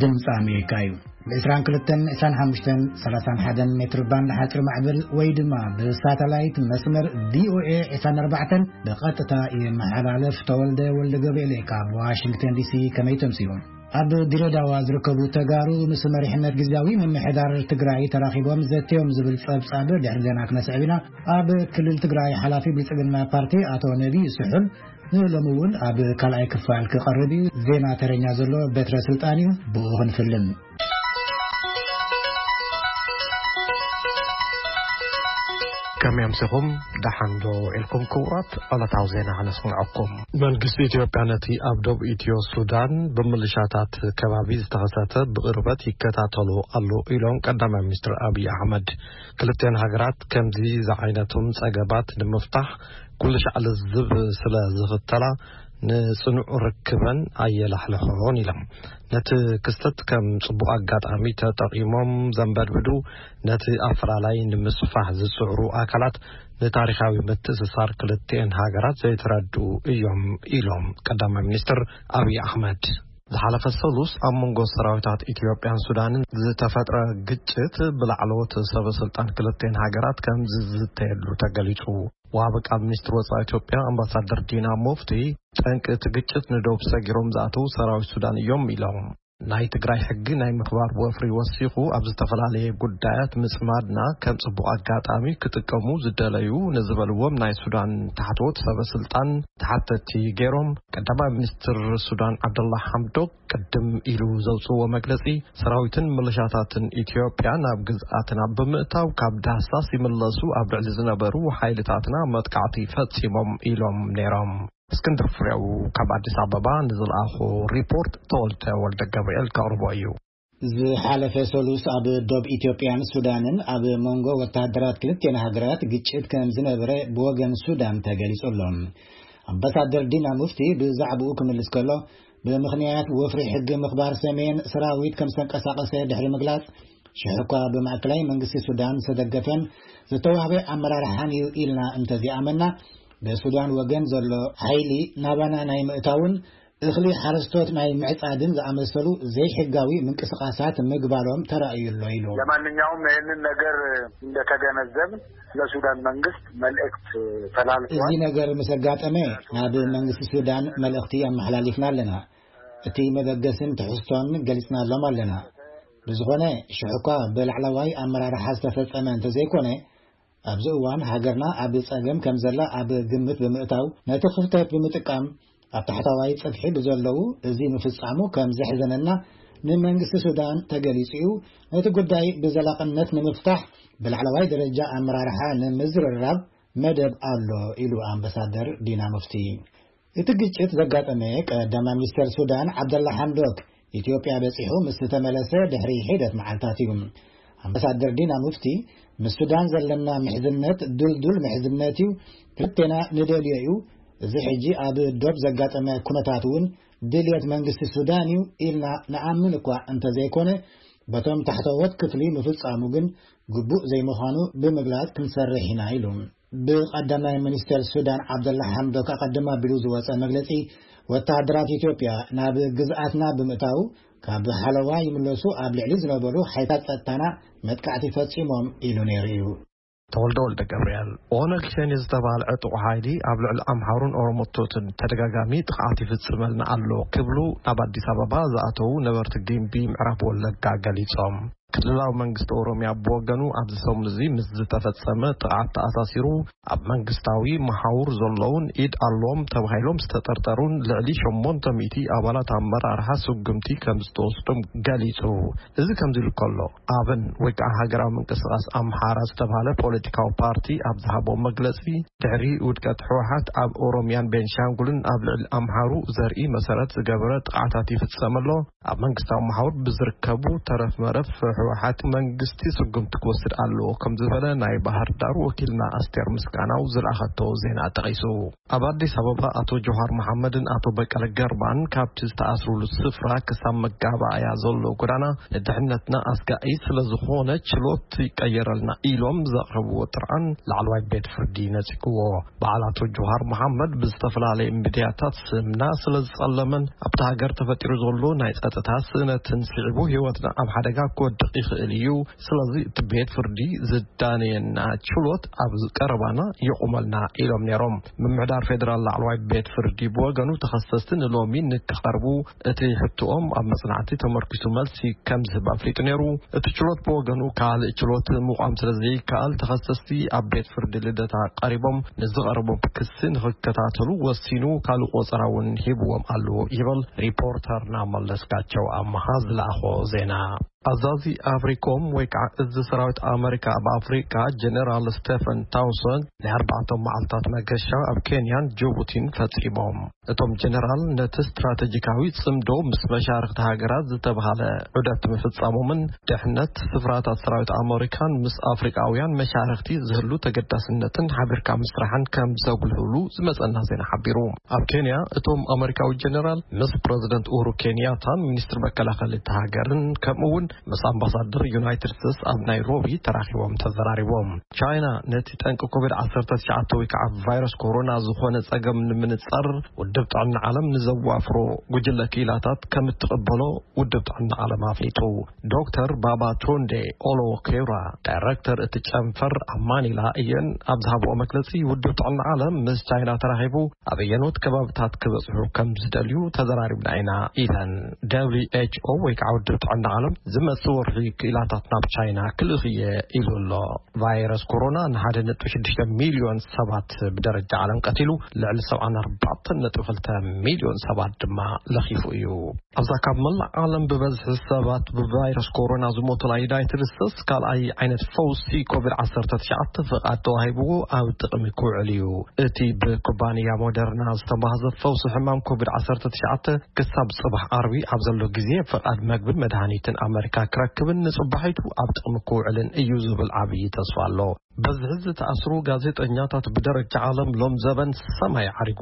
ድምፂ ኣሜሪካ እዩ። ብ22፣ 25፣ 31 ሜትር ባንድ ሓፂር ማዕበል ወይ ድማ ብሳተላይት መስመር ቪኦኤ 24 ብቐጥታ ይመሓላለፍ። ተወልደ ወልደ ገብርኤል ካብ ዋሽንግተን ዲሲ። ከመይ ተምሲሉ? ኣብ ድሬዳዋ ዝርከቡ ተጋሩ ምስ መሪሕነት ግዝያዊ ምምሕዳር ትግራይ ተራኺቦም ዘትዮም ዝብል ጸብጻብ ድሕሪ ዜና ክነስዕብ ኢና። ኣብ ክልል ትግራይ ሓላፊ ብልጽግና ፓርቲ ኣቶ ነቢዩ ስሑል ንሎሚ እውን ኣብ ካልኣይ ክፋል ክቐርብ እዩ። ዜና ተረኛ ዘሎ በትረ ስልጣን እዩ። ብኡ ክንፍልን። ከመይ ኣምሲኹም? ደሓን ዶ ኢልኩም? ክቡራት ዕለታዊ ዜና ክነስምዐኩም። መንግስቲ ኢትዮጵያ ነቲ ኣብ ደቡብ ኢትዮ ሱዳን ብምልሻታት ከባቢ ዝተኸሰተ ብቕርበት ይከታተሎ ኣሎ ኢሎም ቀዳማይ ሚኒስትር ኣብይ ኣሕመድ። ክልተን ሃገራት ከምዚ ዝዓይነቶም ጸገባት ንምፍታሕ ኩሉ ሻዕ ልዝብ ስለ ዝኽተላ ንጽኑዕ ርክበን ኣየላሕልሖን ኢሎም። ነቲ ክስተት ከም ጽቡቕ ኣጋጣሚ ተጠቒሞም ዘንበድብዱ፣ ነቲ ኣፈላላይ ንምስፋሕ ዝጽዕሩ ኣካላት ንታሪኻዊ ምትእስሳር ክልቲኤን ሃገራት ዘይተረድኡ እዮም ኢሎም ቀዳማይ ሚኒስትር ኣብይ ኣሕመድ። ዝሓለፈ ሰሉስ ኣብ መንጎ ሰራዊታት ኢትዮጵያን ሱዳንን ዝተፈጥረ ግጭት ብላዕለዎት ሰበ ስልጣን ክልቲኤን ሃገራት ከም ዝዝተየሉ ተገሊጹ። ወሃቢ ቃል ሚኒስትር ወጻኢ ኢትዮጵያ ኣምባሳደር ዲና ሙፍቲ፣ ጠንቂ እቲ ግጭት ንደቡብ ሰጊሮም ዝኣተዉ ሰራዊት ሱዳን እዮም ኢሎም። ናይ ትግራይ ሕጊ ናይ ምኽባር ወፍሪ ወሲኹ ኣብ ዝተፈላለየ ጉዳያት ምጽማድና ከም ጽቡቕ ኣጋጣሚ ክጥቀሙ ዝደለዩ ንዝበልዎም ናይ ሱዳን ታሕተዎት ሰበ ስልጣን ተሓተቲ ገይሮም። ቀዳማይ ሚኒስትር ሱዳን ዓብደላ ሓምዶክ ቅድም ኢሉ ዘውፅዎ መግለፂ፣ ሰራዊትን ምልሻታትን ኢትዮጵያ ናብ ግዝኣትና ብምእታው ካብ ዳህሳስ ይምለሱ ኣብ ልዕሊ ዝነበሩ ሓይልታትና መጥቃዕቲ ፈፂሞም ኢሎም ነይሮም። እስክንድር ፍሬው ካብ ኣዲስ ኣበባ ንዝለኣኾ ሪፖርት ተወልደ ወልደ ገብርኤል ከቕርቦ እዩ። ዝሓለፈ ሰሉስ ኣብ ዶብ ኢትዮጵያን ሱዳንን ኣብ መንጎ ወታደራት ክልቲኤን ሃገራት ግጭት ከም ዝነበረ ብወገን ሱዳን ተገሊጹ ኣሎ። ኣምባሳደር ዲና ሙፍቲ ብዛዕባኡ ክምልስ ከሎ፣ ብምኽንያት ወፍሪ ሕጊ ምኽባር ሰሜን ሰራዊት ከም ዝተንቀሳቐሰ ድሕሪ ምግላጽ፣ ሽሕ እኳ ብማእከላይ መንግስቲ ሱዳን ዝተደገፈን ዝተዋህበ ኣመራርሓን እዩ ኢልና እንተዚኣመና፣ ብሱዳን ወገን ዘሎ ሓይሊ ናባና ናይ ምእታውን እኽሊ ሓረስቶት ናይ ምዕጻድን ዝኣመሰሉ ዘይሕጋዊ ምንቅስቃሳት ምግባሮም ተራእዩ ኣሎ ኢሉ። ለማንኛውም ይህንን ነገር እንደተገነዘብን ለሱዳን መንግስት መልእክት ተላልፏል። እዚ ነገር ምስ ኣጋጠመ ናብ መንግስቲ ሱዳን መልእኽቲ ኣመሓላሊፍና ኣለና። እቲ መበገስን ትሕዝቶን ገሊጽናሎም ኣለና። ብዝኾነ ሽሕ እኳ ብላዕለዋይ ኣመራርሓ ዝተፈጸመ እንተዘይኮነ፣ ኣብዚ እዋን ሃገርና ኣብ ጸገም ከም ዘላ ኣብ ግምት ብምእታው፣ ነቲ ክፍተት ብምጥቃም ኣብ ታሕተዋይ ጽፍሒ ብዘለዉ እዚ ምፍጻሙ ከም ዘሕዘነና ንመንግስቲ ሱዳን ተገሊጹ እዩ። ነቲ ጉዳይ ብዘላቕነት ንምፍታሕ ብላዕለዋይ ደረጃ ኣመራርሓ ንምዝርራብ መደብ ኣሎ ኢሉ ኣምባሳደር ዲና ሙፍቲ። እቲ ግጭት ዘጋጠመ ቀዳማይ ሚኒስተር ሱዳን ዓብደላ ሓምዶክ ኢትዮጵያ በጺሑ ምስ ተመለሰ ድሕሪ ሒደት መዓልታት እዩ። ኣምባሳደር ዲና ሙፍቲ፣ ምስ ሱዳን ዘለና ምሕዝነት ድልዱል ምሕዝነት እዩ፣ ክልቴና ንደልዮ እዩ። እዚ ሕጂ ኣብ ዶብ ዘጋጠመ ኩነታት እውን ድልየት መንግስቲ ሱዳን እዩ ኢልና ንኣምን እኳ እንተዘይኮነ፣ በቶም ታሕተዎት ክፍሊ ምፍጻሙ ግን ግቡእ ዘይምዃኑ ብምግላጽ ክንሰርሕ ኢና ኢሉ። ብቐዳማይ ሚኒስተር ሱዳን ዓብደላ ሓምዶክ ኣቐድም ኣቢሉ ዝወጸ መግለጺ፣ ወተሃደራት ኢትዮጵያ ናብ ግዝኣትና ብምእታው ካብ ሓለዋ ይምለሱ ኣብ ልዕሊ ዝነበሩ ሓይልታት ጸጥታና መጥቃዕቲ ፈጺሞም ኢሉ ነይሩ እዩ። ተወልደ ወልደ ገብርኤል። ኦነግ ሸኔ ዝተባህለ ዕጡቕ ሓይሊ ኣብ ልዕሊ ኣምሓሩን ኦሮሞቶትን ተደጋጋሚ ጥቕዓት ይፍጽመልና ኣሎ ክብሉ ናብ ኣዲስ ኣበባ ዝኣተዉ ነበርቲ ጊምቢ ምዕራብ ወለጋ ገሊጾም። ክልላዊ መንግስቲ ኦሮሚያ ብወገኑ ኣብዚ ሰሙን እዚ ምስ ዝተፈጸመ ጥቕዓት ተኣሳሲሩ ኣብ መንግስታዊ መሓውር ዘለውን ኢድ ኣለዎም ተባሂሎም ዝተጠርጠሩን ልዕሊ ሸሞንተ ሚእቲ ኣባላት ኣመራርሓ ስጉምቲ ከም ዝተወስዶም ገሊጹ። እዚ ከምዚ ኢሉ ከሎ፣ ኣብን ወይ ከዓ ሃገራዊ ምንቅስቃስ ኣምሓራ ዝተባህለ ፖለቲካዊ ፓርቲ ኣብ ዝሃቦ መግለጺ፣ ድሕሪ ውድቀት ህወሓት ኣብ ኦሮሚያን ቤንሻንጉልን ኣብ ልዕሊ ኣምሓሩ ዘርኢ መሰረት ዝገበረ ጥቕዓታት ይፍጸም ኣሎ። ኣብ መንግስታዊ መሓውር ብዝርከቡ ተረፍ መረፍ ህወሓት መንግስቲ ስጉምቲ ክወስድ ኣለዎ ከም ዝበለ ናይ ባህር ዳር ወኪልና ኣስቴር ምስጋናው ዝለኣኸቶ ዜና ጠቒሱ። ኣብ ኣዲስ ኣበባ ኣቶ ጆሃር መሓመድን ኣቶ በቀለ ገርባን ካብቲ ዝተኣስሩሉ ስፍራ ክሳብ መጋባእያ ዘሎ ጎዳና ንድሕነትና ኣስጋኢ ስለ ዝኾነ ችሎት ይቀየረልና ኢሎም ዘቕረብዎ ጥርዓን ላዕለዋይ ቤት ፍርዲ ነጺግዎ። በዓል ኣቶ ጆሃር መሓመድ ብዝተፈላለየ ሚድያታት ስምና ስለ ዝጸለመን ኣብቲ ሃገር ተፈጢሩ ዘሎ ናይ ጸጥታ ስእነትን ስዒቡ ህይወትና ኣብ ሓደጋ ክወድቕ ይኽእል እዩ። ስለዚ እቲ ቤት ፍርዲ ዝዳነየና ችሎት ኣብ ቀረባና ይቑመልና ኢሎም ነይሮም። ምምሕዳር ፌደራል ላዕለዋይ ቤት ፍርዲ ብወገኑ ተኸሰስቲ ንሎሚ ንክቐርቡ እቲ ሕቶኦም ኣብ መጽናዕቲ ተመርኪሱ መልሲ ከም ዝህብ ኣፍሊጡ ነይሩ። እቲ ችሎት ብወገኑ ካልእ ችሎት ምቋም ስለ ዘይከኣል ተኸሰስቲ ኣብ ቤት ፍርዲ ልደታ ቀሪቦም ንዝቐረቦም ክሲ ንኽከታተሉ ወሲኑ ካልእ ቆጸራ እውን ሂብዎም ኣሎ ይብል ሪፖርተርና መለስካቸው ኣመሃ ዝለኣኾ ዜና። ኣዛዚ ኣፍሪኮም ወይ ከዓ እዚ ሰራዊት ኣመሪካ ኣብ ኣፍሪካ ጀነራል ስቴፈን ታውሰን ናይ ኣርባዕተ መዓልታት መገሻ ኣብ ኬንያን ጅቡቲን ፈጺሞም። እቶም ጀነራል ነቲ ስትራቴጂካዊ ጽምዶ ምስ መሻርክቲ ሃገራት ዝተብሃለ ዑደት ምፍጻሞምን ድሕነት ስፍራታት ሰራዊት ኣመሪካን ምስ ኣፍሪቃውያን መሻርክቲ ዝህሉ ተገዳስነትን ሓቢርካ ምስራሕን ከም ዘጉልህሉ ዝመጸና ዜና ሓቢሩ። ኣብ ኬንያ እቶም ኣመሪካዊ ጀነራል ምስ ፕረዚደንት ኡሁሩ ኬንያታን ሚኒስትር መከላኸሊ እቲ ሃገርን ከምኡ እውን ምስ ኣምባሳደር ዩናይትድ ስቴትስ ኣብ ናይሮቢ ተራኺቦም ተዘራሪቦም። ቻይና ነቲ ጠንቂ ኮቪድ ዓሰርተ ትሽዓተ ወይ ከዓ ቫይረስ ኮሮና ዝኾነ ጸገም ንምንጻር ውድብ ጥዕና ዓለም ንዘዋፍሮ ጉጅለ ክኢላታት ከም እትቕበሎ ውድብ ጥዕና ዓለም ኣፍሊጡ። ዶክተር ባባ ቶንዴ ኦሎ ኬራ ዳይሬክተር እቲ ጨንፈር ኣብ ማኒላ እየን ኣብ ዝሃብኦ መግለጺ ውድብ ጥዕና ዓለም ምስ ቻይና ተራኺቡ ኣብ ኣየኖት ከባብታት ክበጽሑ ከም ዝደልዩ ተዘራሪብና ኢና ኢለን። ደብሊው ኤች ኦ ወይ ከዓ ውድብ ጥዕና ዓለም ዝመጽእ ወርሒ ክኢላታት ናብ ቻይና ክልእኽ እየ ኢሉ ኣሎ። ቫይረስ ኮሮና ንሓደ ነጥቢ ሽዱሽተ ሚልዮን ሰባት ብደረጃ ዓለም ቀቲሉ ልዕሊ ሰብዓን ኣርባዕተን ነጥቢ ክልተ ሚልዮን ሰባት ድማ ለኺፉ እዩ። ኣብዛ ካብ መላእ ዓለም ብበዝሒ ሰባት ብቫይረስ ኮሮና ዝሞቱላ ዩናይትድ ስቴትስ ካልኣይ ዓይነት ፈውሲ ኮቪድ ዓሰርተ ትሽዓተ ፍቓድ ተዋሂብዎ ኣብ ጥቕሚ ክውዕል እዩ። እቲ ብኩባንያ ሞደርና ዝተማህዘ ፈውሲ ሕማም ኮቪድ ዓሰርተ ትሽዓተ ክሳብ ጽባሕ ዓርቢ ኣብ ዘሎ ግዜ ፍቓድ መግብን መድሃኒትን ኣመሪካ ክረክብን ንጽባሒቱ ኣብ ጥቕሚ ክውዕልን እዩ ዝብል ዓብዪ ተስፋ ኣሎ። በዝሒ ዝተኣስሩ ጋዜጠኛታት ብደረጃ ዓለም ሎም ዘበን ሰማይ ዓሪጉ።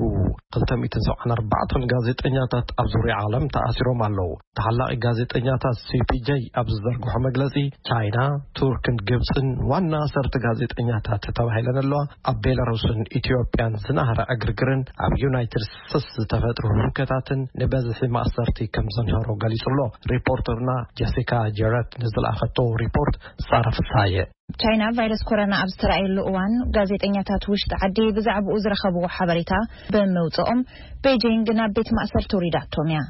ክልተ ሚእትን ሰብዓን ኣርባዕተን ጋዜጠኛታት ኣብ ዙርያ ዓለም ተኣሲሮም ኣለዉ። ተሓላቒ ጋዜጠኛታት ሲ ፒ ጄ ኣብ ዝዘርግሖ መግለጺ ቻይና፣ ቱርክን ግብጽን ዋና ኣሰርተ ጋዜጠኛታት ተባሂለን ኣለዋ። ኣብ ቤላሩስን ኢትዮጵያን ዝናህረ ዕግርግርን ኣብ ዩናይትድ ስቴትስ ዝተፈጥሩ ህውከታትን ንበዝሒ ማእሰርቲ ከም ዘንሃሮ ገሊጹ ኣሎ። ሪፖርተርና ጀሲካ ጀረት ንዝለኣኸቶ ሪፖርት ሳራ ፍሳየ። ቻይና ቫይረስ ኮሮና ኣብ ዝተረኣየሉ እዋን ጋዜጠኛታት ውሽጢ ዓዲ ብዛዕባኡ ዝረኸብዎ ሓበሬታ ብምውፅኦም ቤጂንግ ናብ ቤት ማእሰርቲ ውሪዳቶም እያ።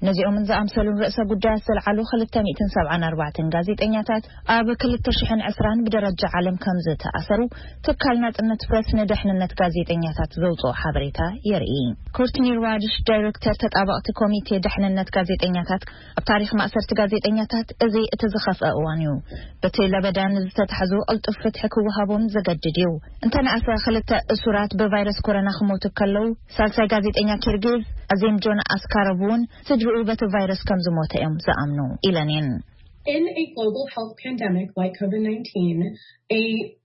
ነዚኦምን ዝኣምሰሉን ርእሰ ጉዳያት ዘልዓሉ ክልተ ሚእትን ሰብዓን ኣርባዕተን ጋዜጠኛታት ኣብ ክልተ ሽሕን ዕስራን ብደረጃ ዓለም ከም ዝተኣሰሩ ትካል ናጽነት ፕረስ ንደሕንነት ጋዜጠኛታት ዘውፅኦ ሓበሬታ የርኢ። ኮርትኒ ራድሽ ዳይሬክተር ተጣበቕቲ ኮሚቴ ደሕንነት ጋዜጠኛታት ኣብ ታሪኽ ማእሰርቲ ጋዜጠኛታት እዚ እቲ ዝኸፍአ እዋን እዩ። በቲ ለበዳ ንዝተታሕዙ ቅልጡፍ ፍትሒ ክወሃቦም ዘገድድ እዩ። እንተነኣሰ ክልተ እሱራት ብቫይረስ ኮሮና ክሞቱ ከለዉ ሳልሳይ ጋዜጠኛ ኪርጊዝ ኣዜም ጆን ኣስካሮቭ እውን ስድርኡ በቲ ቫይረስ ከም ዝሞተ እዮም ዝኣምኑ ኢለን እየን። In a global health pandemic like COVID nineteen, a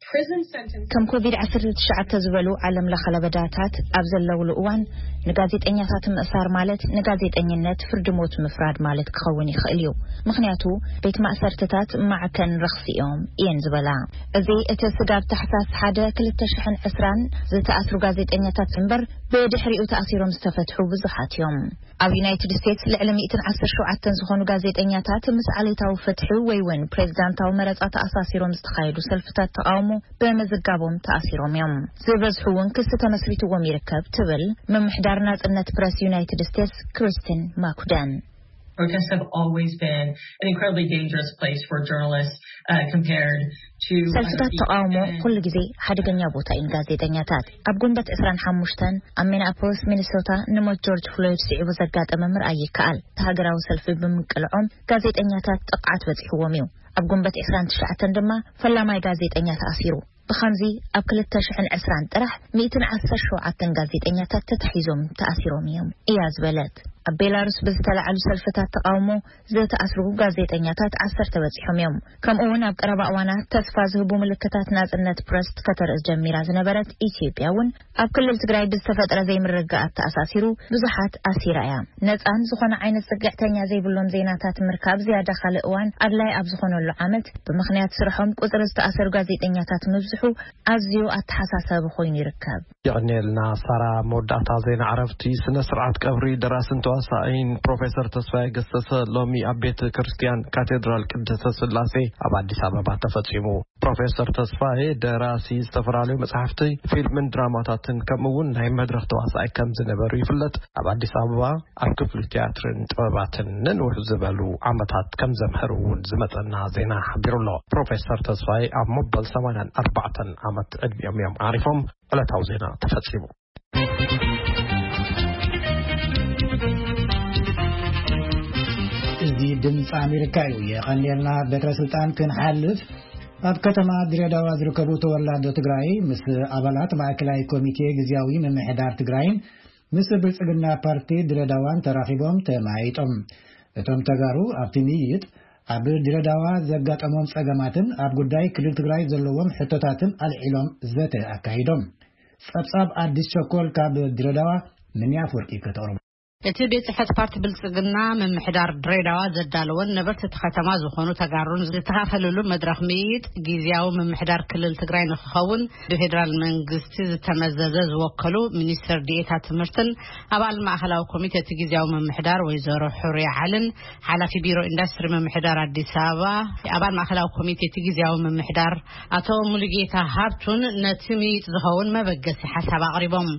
prison sentence ከም ኮቪድ ዓሰርተ ትሽዓተ ዝበሉ ዓለም ለኸ ለበዳታት ኣብ ዘለውሉ እዋን ንጋዜጠኛታት ምእሳር ማለት ንጋዜጠኝነት ፍርዲ ሞት ምፍራድ ማለት ክኸውን ይኽእል እዩ። ምኽንያቱ ቤት ማእሰርትታት ማዕከን ረኽሲ እዮም እየን ዝበላ። እዚ እቲ ስጋብ ታሕሳስ ሓደ ክልተ ሽሕን ዕስራን ዝተኣስሩ ጋዜጠኛታት እምበር ብድሕሪኡ ተኣሲሮም ዝተፈትሑ ብዙሓት እዮም። ኣብ ዩናይትድ ስቴትስ ልዕሊ ሚእትን ዓሰርተ ሸውዓተን ዝኾኑ ጋዜጠኛታት ምስ ዓሌታዊ ፍትሒ ወይ እውን ፕሬዚዳንታዊ መረፃ ተኣሳሲሮም ዝተኻየዱ ሰልፍታት ተቃውሞ ብምዝጋቦም ተኣሲሮም እዮም። ዝበዝሑ እውን ክሲ ተመስሪትዎም ይርከብ ትብል ምምሕዳር ናጽነት ፕረስ ዩናይትድ ስቴትስ ክሪስቲን ማኩደን። Protests have always been an incredibly dangerous place for journalists, uh, compared to other ሰልፍታት ተቃውሞ fields. ኩሉ ግዜ ሓደገኛ ቦታ እዩ ንጋዜጠኛታት። ኣብ ጉንበት ዕስራን ሓሙሽተን ኣብ ሚኒኣፖሊስ ሚኒሶታ ንሞት ጆርጅ ፍሎይድ ስዒቡ ዘጋጠመ ምርኣይ ይከኣል። እቲ ሃገራዊ ሰልፊ ብምቅልዖም ጋዜጠኛታት ጥቕዓት በፂሕዎም እዩ። ኣብ ጉንበት ዕስራን ትሽዓተን ድማ ፈላማይ ጋዜጠኛ ተኣሲሩ። ብኸምዚ ኣብ ክልተ ሽሕን ዕስራን ጥራሕ ሚእትን ዓሰርተ ሸውዓተን ጋዜጠኛታት ተታሒዞም ተኣሲሮም እዮም እያ ዝበለት። ኣብ ቤላሩስ ብዝተላዕሉ ሰልፍታት ተቃውሞ ዝተኣስሩ ጋዜጠኛታት ዓሰርተ በጺሖም እዮም። ከምኡ እውን ኣብ ቀረባ እዋናት ተስፋ ዝህቡ ምልክታት ናጽነት ፕረስ ከተርኢ ጀሚራ ዝነበረት ኢትዮጵያ እውን ኣብ ክልል ትግራይ ብዝተፈጥረ ዘይምርግጋኣት ተኣሳሲሩ ብዙሓት ኣሲራ እያ። ነጻን ዝኾነ ዓይነት ጽግዕተኛ ዘይብሎም ዜናታት ምርካብ ዝያዳ ካልእ እዋን ኣድላይ ኣብ ዝኾነሉ ዓመት ብምኽንያት ስርሖም ቁጽሪ ዝተኣሰሩ ጋዜጠኛታት ምብዝሑ ኣዝዩ ኣተሓሳሳቢ ኮይኑ ይርከብ። የቐንየልና ሳራ። መወዳእታ ዜና ዕረፍቲ። ስነ ስርዓት ቀብሪ ደራስን ተዋሳኢን ፕሮፌሰር ተስፋዬ ገሰሰ ሎሚ ኣብ ቤተ ክርስቲያን ካቴድራል ቅድስተ ስላሴ ኣብ ኣዲስ ኣበባ ተፈጺሙ። ፕሮፌሰር ተስፋዬ ደራሲ ዝተፈላለዩ መጽሓፍቲ፣ ፊልምን ድራማታትን ከምኡ እውን ናይ መድረኽ ተዋሳኢ ከም ዝነበሩ ይፍለጥ። ኣብ ኣዲስ ኣበባ ኣብ ክፍሊ ቲያትርን ጥበባትን ንንውሕ ዝበሉ ዓመታት ከም ዘምሀሩ እውን ዝመጸና ዜና ሓቢሩ ኣሎ። ፕሮፌሰር ተስፋዬ ኣብ መበል ሰማንያን ኣርባዕተን ዓመት ዕድሚኦም እዮም ዓሪፎም። ዕለታዊ ዜና ተፈጺሙ። እዚ ድምፂ ኣሜሪካ እዩ። የቐንየልና። በትረ ስልጣን ክንሓልፍ ኣብ ከተማ ድሬዳዋ ዝርከቡ ተወላዶ ትግራይ ምስ ኣባላት ማእከላይ ኮሚቴ ግዝያዊ ምምሕዳር ትግራይን ምስ ብልጽግና ፓርቲ ድሬዳዋን ተራኺቦም ተመያይጦም። እቶም ተጋሩ ኣብቲ ምይይጥ ኣብ ድሬዳዋ ዘጋጠሞም ጸገማትን ኣብ ጉዳይ ክልል ትግራይ ዘለዎም ሕቶታትን ኣልዒሎም ዘተ ኣካይዶም። ጸብጻብ ኣዲስ ቸኮል ካብ ድሬዳዋ። ምንያ ኣፈወርቂ ከተቕርቦ። እቲ ቤት ጽሕፈት ፓርቲ ብልጽግና ምምሕዳር ድሬዳዋ ዘዳለወን ነበርቲ እቲ ከተማ ዝኾኑ ተጋሩን ዝተኻፈሉሉ መድረኽ ምይይጥ ግዝያዊ ምምሕዳር ክልል ትግራይ ንክኸውን ብፌዴራል መንግስቲ ዝተመዘዘ ዝወከሉ ሚኒስትር ዲኤታ ትምህርትን ኣባል ማእኸላዊ ኮሚቴ እቲ ግዝያዊ ምምሕዳር ወይዘሮ ሑርያ ዓልን ሓላፊ ቢሮ ኢንዱስትሪ ምምሕዳር ኣዲስ ኣበባ ኣባል ማእኸላዊ ኮሚቴ እቲ ግዝያዊ ምምሕዳር ኣቶ ሙሉጌታ ሃብቱን ነቲ ምይይጥ ዝኸውን መበገሲ ሓሳብ ኣቕሪቦም።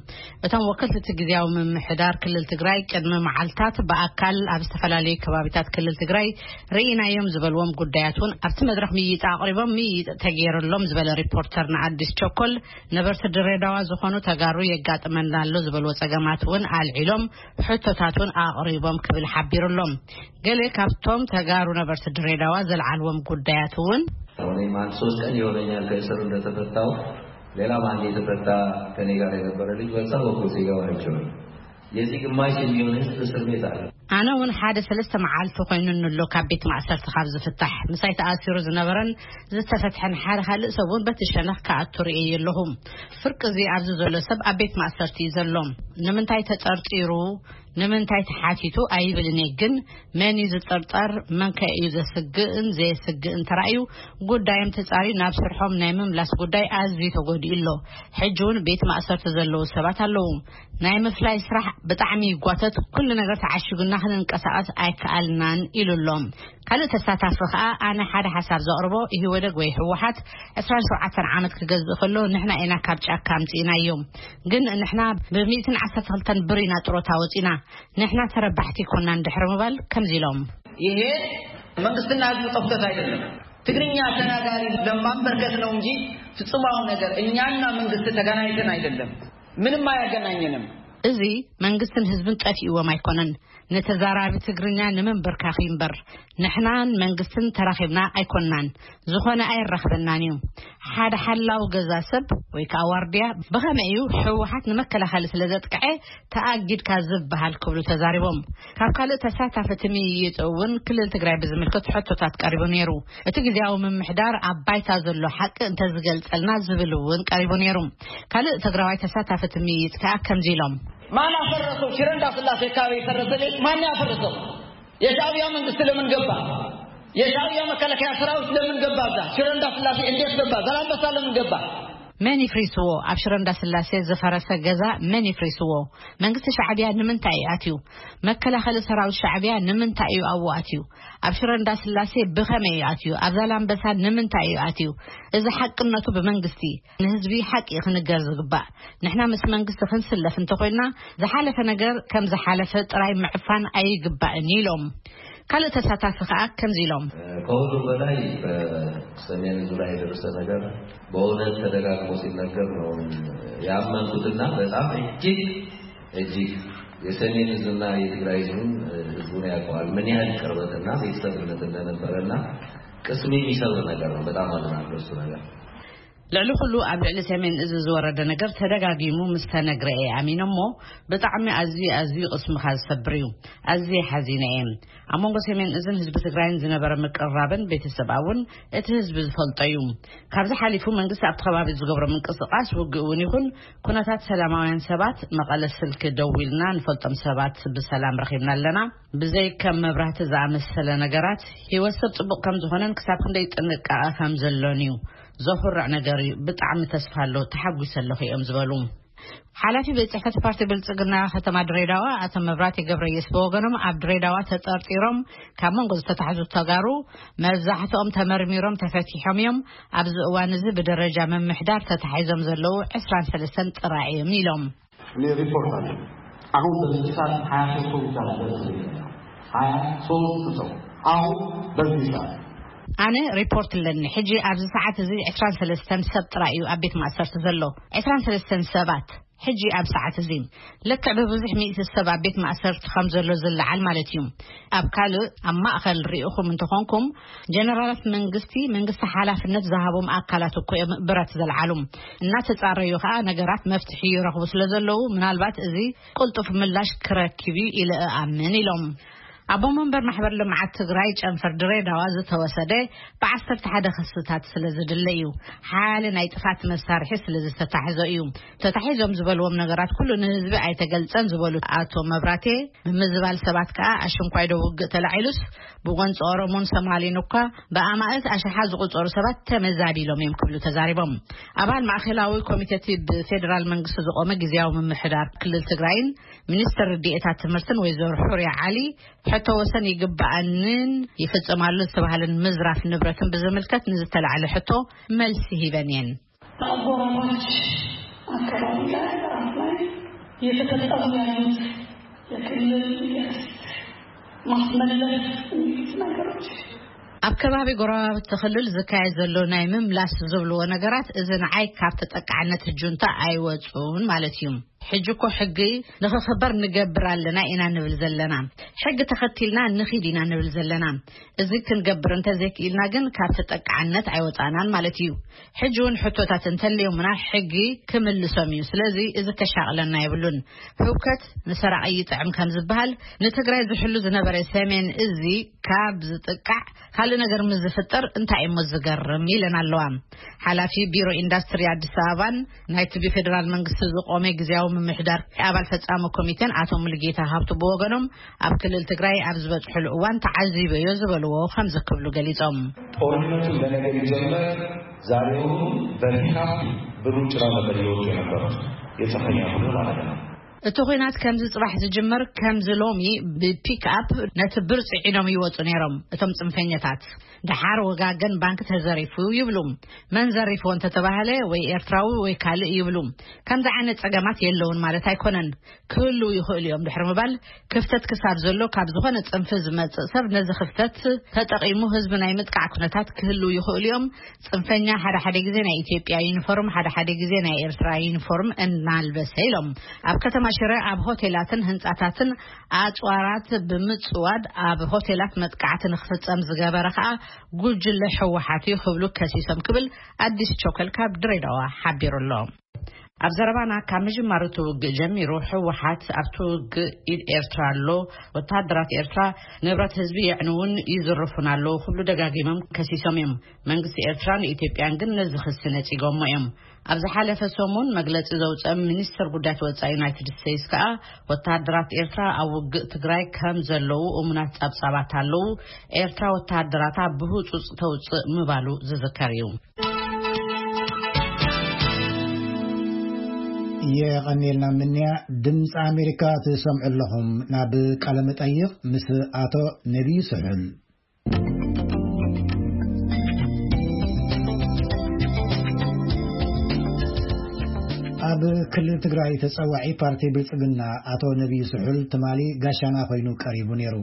እቶም ወከልቲ እቲ ግዝያዊ ምምሕዳር ክልል ትግራይ ቅድሚ መዓልታት ብኣካል ኣብ ዝተፈላለዩ ከባቢታት ክልል ትግራይ ርኢናዮም ዝበልዎም ጉዳያት እውን ኣብቲ መድረኽ ምይይጥ ኣቕሪቦም ምይይጥ ተገይርሎም ዝበለ ሪፖርተር ንኣዲስ ቸኮል፣ ነበርቲ ድሬዳዋ ዝኾኑ ተጋሩ የጋጥመና ኣሎ ዝበልዎ ጸገማት እውን ኣልዒሎም ሕቶታት እውን ኣቕሪቦም ክብል ሓቢሩ ኣሎ። ገለ ካብቶም ተጋሩ ነበርቲ ድሬዳዋ ዘልዓልዎም ጉዳያት እውን እኔም አንድ ሶስት ቀን ይሆነኛል ከእስር እንደተፈታው። ሌላም አንድ የተፈታ ከኔ ጋር የነበረ ልጅ በዛ በኩል ሲገባ አይቼዋለሁ። የዚህ ግማሽ የሚሆን ህዝብ እስር ቤት አለ። ኣነ እውን ሓደ ሰለስተ መዓልቲ ኮይኑኒ ኣሎ ካብ ቤት ማእሰርቲ ካብ ዝፍታሕ። ምሳይ ተኣሲሩ ዝነበረን ዝተፈትሐን ሓደ ካልእ ሰብ እውን በቲ ሸነኽ ክኣቱ ርእየ ኣለኹ። ፍርቂ እዚ ኣብዚ ዘሎ ሰብ ኣብ ቤት ማእሰርቲ እዩ ዘሎ። ንምንታይ ተጠርጢሩ፣ ንምንታይ ተሓቲቱ ኣይብልን እየ፣ ግን መን እዩ ዝጥርጠር፣ መን ከ እዩ ዘስግእን ዘየስግእን ተራእዩ፣ ጉዳዮም ተጻርዩ ናብ ስርሖም ናይ ምምላስ ጉዳይ ኣዝዩ ተጎዲኡ ኣሎ። ሕጂ እውን ቤት ማእሰርቲ ዘለዉ ሰባት ኣለዉ። ናይ ምፍላይ ስራሕ ብጣዕሚ ይጓተት፣ ኩሉ ነገር ተዓሺጉና ክንንቀሳቐስ ኣይከኣልናን ኢሉ ኣሎ። ካልእ ተሳታፊ ከኣ ኣነ ሓደ ሓሳብ ዘቕርቦ ኢህወደግ ወይ ህወሓት ዕስራን ሸውዓተን ዓመት ክገዝእ ከሎ ንሕና ኢና ካብ ጫካ ኣምጺእናዮም። ግን ንሕና ብሚእትን ዓሰርተ ክልተን ብር ኢና ጥሮታ ወጺና። ንሕና ተረባሕቲ ኮናን ድሕሪ ምባል ከምዚ ኢሎም። ይሄ መንግስትና ህዝብ ጠፍቶት አይደለም። ትግርኛ ተናጋሪ ለማንበርከክ ነው እንጂ ፍጹማዊ ነገር እኛና መንግስት ተገናኝተን አይደለም። ምንም አያገናኘንም። እዚ መንግስትን ህዝብን ጠፊእዎም ኣይኮነን። ንተዛራቢ ትግርኛ ንምንብርካኽ እምበር ንሕናን መንግስትን ተራኺብና ኣይኮንናን። ዝኾነ ኣየራኽበናን እዩ። ሓደ ሓላው ገዛ ሰብ ወይ ከዓ ዋርድያ ብኸመይ እዩ ህወሓት ንመከላኸሊ ስለ ዘጥቅዐ ተኣጊድካ ዝበሃል ክብሉ ተዛሪቦም። ካብ ካልእ ተሳታፊ እቲ ምይይጥ እውን ክልል ትግራይ ብዝምልከት ሕቶታት ቀሪቡ ነይሩ። እቲ ግዜያዊ ምምሕዳር ኣብ ባይታ ዘሎ ሓቂ እንተዝገልጸልና ዝብል እውን ቀሪቡ ነይሩ። ካልእ ትግራዋይ ተሳታፊ እቲ ምይይጥ ከዓ ከምዚ ኢሎም። ማን አፈረሰው? ሽረ እንዳስላሴ አካባቢ የፈረሰ ቤት ማን ያፈረሰው? የሻዕቢያ መንግስት ለምን ገባ? የሻዕቢያ መከላከያ ሰራዊት ለምን ገባ? እዛ ሽረ እንዳስላሴ እንዴት ገባ? ዛላምበሳ ለምን ገባ? መን ይፍሪስዎ? ኣብ ሽረ እንዳስላሴ ዝፈረሰ ገዛ መን ይፍሪስዎ? መንግስቲ ሻዕቢያ ንምንታይ እዩ ኣትዩ? መከላኸሊ ሰራዊት ሻዕቢያ ንምንታይ እዩ ኣብኡ ኣትዩ? ኣብ ሽረ እንዳስላሴ ብኸመይ እዩ ኣትዩ? ኣብ ዛላምበሳ ንምንታይ እዩ ኣትዩ? እዚ ሓቅነቱ ብመንግስቲ ንህዝቢ ሓቂ እዩ ክንገር ዝግባእ። ንሕና ምስ መንግስቲ ክንስለፍ እንተኾይንና ዝሓለፈ ነገር ከም ዝሓለፈ ጥራይ ምዕፋን ኣይግባእን ኢሎም። ካልእ ተሳታፊ ከኣ ከምዚ ኢሎም። ከሁሉ በላይ በሰሜን እዙ ላይ የደረሰ ነገር በእውነት ተደጋግሞ ሲነገር ነው ያመንኩትና በጣም እጅግ እጅግ የሰሜን እዝና የትግራይ ህዝብን ህዝቡን ያውቀዋል ምን ያህል ቅርበትና ቤተሰብነት እንደነበረና ቅስም የሚሰብር ነገር ነው። በጣም አዝናለሁ እሱ ነገር። ልዕሊ ኩሉ ኣብ ልዕሊ ሰሜን እዚ ዝወረደ ነገር ተደጋጊሙ ምስ ተነግረ እየ ኣሚነ እሞ፣ ብጣዕሚ ኣዝዩ ኣዝዩ ቅስምኻ ዝሰብር እዩ። ኣዝየ ሓዚነ እየ። ኣብ መንጎ ሰሜን እዝን ህዝቢ ትግራይን ዝነበረ ምቅርራብን ቤተሰብ እውን እቲ ህዝቢ ዝፈልጦ እዩ። ካብዚ ሓሊፉ መንግስቲ ኣብቲ ከባቢ ዝገብሮ ምንቅስቃስ ውግእ እውን ይኹን ኩነታት ሰላማውያን ሰባት መቐለ ስልኪ ደዊልና ንፈልጦም ሰባት ብሰላም ረኺብና ኣለና። ብዘይ ከም መብራህቲ ዝኣመሰለ ነገራት ህይወት ሰብ ጽቡቕ ከም ዝኾነን ክሳብ ክንደይ ጥንቃቐ ከም ዘሎን እዩ። ዘኹርዕ ነገር እዩ። ብጣዕሚ ተስፋ ኣሎ፣ ተሓጒሰ ኣለኹ እዮም ዝበሉ። ሓላፊ ቤት ጽሕፈት ፓርቲ ብልጽግና ከተማ ድሬዳዋ ኣቶ መብራህቲ ገብረየስ ብወገኖም ኣብ ድሬዳዋ ተጠርጢሮም ካብ መንጎ ዝተታሕዙ ተጋሩ መብዛሕትኦም ተመርሚሮም ተፈቲሖም እዮም። ኣብዚ እዋን እዚ ብደረጃ ምምሕዳር ተታሒዞም ዘለዉ ዕስራን ሰለስተን ጥራይ እዮም ኢሎም። እኔ ሪፖርት አለ። አሁን በዚህ ሰዓት ሀያ ሶስት ሰው ብቻ ነው በእስር ቤት ያለው። ሀያ ሶስት ሰው አሁን በዚህ ሰዓት። ኣነ ሪፖርት ኣለኒ። ሕጂ ኣብዚ ሰዓት እዚ ዕስራን ሰለስተን ሰብ ጥራይ እዩ ኣብ ቤት ማእሰርቲ ዘሎ። ዕስራን ሰለስተን ሰባት ሕጂ ኣብ ሰዓት እዚ። ልክዕ ብብዙሕ ሚእቲ ሰብ ኣብ ቤት ማእሰርቲ ከም ዘሎ ዝለዓል ማለት እዩ። ኣብ ካልእ ኣብ ማእኸል ርኢኹም እንተኾንኩም፣ ጀነራላት መንግስቲ፣ መንግስቲ ሓላፍነት ዝሃቦም ኣካላት እኮ እዮም ብረት ዘልዓሉ። እናተጻረዩ ኸኣ ነገራት መፍትሒ ይረኽቡ ስለ ዘለዉ፣ ምናልባት እዚ ቅልጡፍ ምላሽ ክረክብ እዩ ኢለ እኣምን ኢሎም። ኣቦ መንበር ማሕበር ልምዓት ትግራይ ጨንፈር ድሬዳዋ ዝተወሰደ ብዓሰርተ ሓደ ክስታት ስለ ዝድለ እዩ። ሓያለ ናይ ጥፋት መሳርሒ ስለ ዝተታሕዞ እዩ። ተታሒዞም ዝበልዎም ነገራት ኩሉ ንህዝቢ ኣይተገልጸን ዝበሉ ኣቶ መብራቴ፣ ምምዝባል ሰባት ከኣ ኣሽንኳይ ዶ ውግእ ተላዒሉስ ብጎንፂ ኦሮሞን ሶማሌን እኳ ብኣማእት ኣሽሓት ዝቑጸሩ ሰባት ተመዛቢሎም እዮም ክብሉ ተዛሪቦም። ኣባል ማእኸላዊ ኮሚቴ እቲ ብፌዴራል መንግስቲ ዝቖመ ግዝያዊ ምምሕዳር ክልል ትግራይን ሚኒስትር ርድኤታት ትምህርትን ወይዘሮ ሑርያ ዓሊ፣ ሕቶ ወሰን ይግበኣንን ይፍጸማሉ ዝተባህለን ምዝራፍ ንብረትን ብዝምልከት ንዝተላዕለ ሕቶ መልሲ ሂበን እየን። በአጎራባች አካባቢ ላይ ራስ ላይ የተፈጸሙ ያሉት የክልል የርስት ማስመለስ የሚሉት ነገሮች ኣብ ከባቢ ጎረባብቲ ክልል ዝካየድ ዘሎ ናይ ምምላስ ዝብልዎ ነገራት፣ እዚ ንዓይ ካብ ተጠቃዕነት ጁንታ ኣይወጹን ማለት እዩ። ሕጂ እኮ ሕጊ ንኽኽበር ንገብር ኣለና ኢና ንብል ዘለና። ሕጊ ተኸቲልና ንኺድ ኢና ንብል ዘለና። እዚ ክንገብር እንተዘይክኢልና ግን ካብ ተጠቃዕነት ኣይወጻናን ማለት እዩ። ሕጂ እውን ሕቶታት እንተልዮምና ሕጊ ክምልሶም እዩ። ስለዚ እዚ ከሻቕለና የብሉን። ህውከት ንሰራቒ ይጥዕም ከም ዝበሃል፣ ንትግራይ ዝሕሉ ዝነበረ ሰሜን እዚ ካብ ዝጥቃዕ ካልእ ነገር ምስ ዝፍጠር እንታይ እሞ ዝገርም ኢለን ኣለዋ። ሓላፊ ቢሮ ኢንዳስትሪ ኣዲስ ኣበባን ናይቲ ብፌዴራል መንግስቲ ዝቆመ ግዝያዊ ምምሕዳር ኣባል ፈጻሚ ኮሚቴን ኣቶ ሙሉጌታ ሃብቱ ብወገኖም፣ ኣብ ክልል ትግራይ ኣብ ዝበጽሕሉ እዋን ተዓዚበዮ ዝበልዎ ከምዚ ክብሉ ገሊጾም። ጦርነቱ ለነገ ሊጀመር ዛሬውኑ በፒካፕ ብሩጭራ ነበር ይወጡ የነበሩት የጽንፈኛ ቡድን ማለት ነው። እቲ ኹናት ከምዚ ጽባሕ ዝጅመር ከምዚ ሎሚ ብፒክኣፕ ነቲ ብር ጽዒኖም ይወጹ ነይሮም እቶም ጽንፈኛታት። ደሓር ወጋገን ባንክ ተዘሪፉ ይብሉ። መን ዘሪፍዎ እንተተባህለ ወይ ኤርትራዊ ወይ ካልእ ይብሉ። ከምዚ ዓይነት ጸገማት የለውን ማለት ኣይኮነን። ክህልው ይኽእሉ እዮም ድሕሪ ምባል፣ ክፍተት ክሳብ ዘሎ ካብ ዝኾነ ጽንፊ ዝመጽእ ሰብ ነዚ ክፍተት ተጠቒሙ ህዝቢ ናይ ምጥቃዕ ኩነታት ክህልው ይኽእሉ እዮም። ጽንፈኛ ሓደ ሓደ ግዜ ናይ ኢትዮጵያ ዩኒፎርም፣ ሓደ ሓደ ግዜ ናይ ኤርትራ ዩኒፎርም እናልበሰ ኢሎም። ኣብ ከተማ ሽረ ኣብ ሆቴላትን ህንጻታትን ኣጽዋራት ብምጽዋድ ኣብ ሆቴላት መጥቃዕቲ ንክፍጸም ዝገበረ ከኣ ጉጅለ ህወሓት እዩ ክብሉ ከሲሶም ክብል ኣዲስ ቾከል ካብ ድሬዳዋ ሓቢሩ ኣሎ። ኣብ ዘረባና ካብ ምጅማሩ እቲ ውግእ ጀሚሩ ህወሓት ኣብቲ ውግእ ኢድ ኤርትራ ኣሎ፣ ወተሃደራት ኤርትራ ንብረት ህዝቢ የዕንውን ይዝርፉን ኣለዉ ክብሉ ደጋጊሞም ከሲሶም እዮም። መንግስቲ ኤርትራን ኢትዮጵያን ግን ነዚ ክሲ ነጺጎሞ እዮም። ኣብ ዝሓለፈ ሰሙን መግለጺ ዘውጸአ ሚኒስትር ጉዳያት ወጻኢ ዩናይትድ ስቴትስ ከኣ ወተሃደራት ኤርትራ ኣብ ውግእ ትግራይ ከም ዘለዉ እሙናት ጸብጻባት ኣለዉ፣ ኤርትራ ወተሃደራታ ብህጹጽ ተውጽእ ምባሉ ዝዝከር እዩ። የቐኔልና ምንያ። ድምፂ ኣሜሪካ ትሰምዑ ኣለኹም። ናብ ቃለ መጠይቕ ምስ ኣቶ ነቢዩ ስሑል። ኣብ ክልል ትግራይ ተፀዋዒ ፓርቲ ብልፅግና ኣቶ ነቢዩ ስሑል ትማሊ ጋሻና ኮይኑ ቀሪቡ ነይሩ።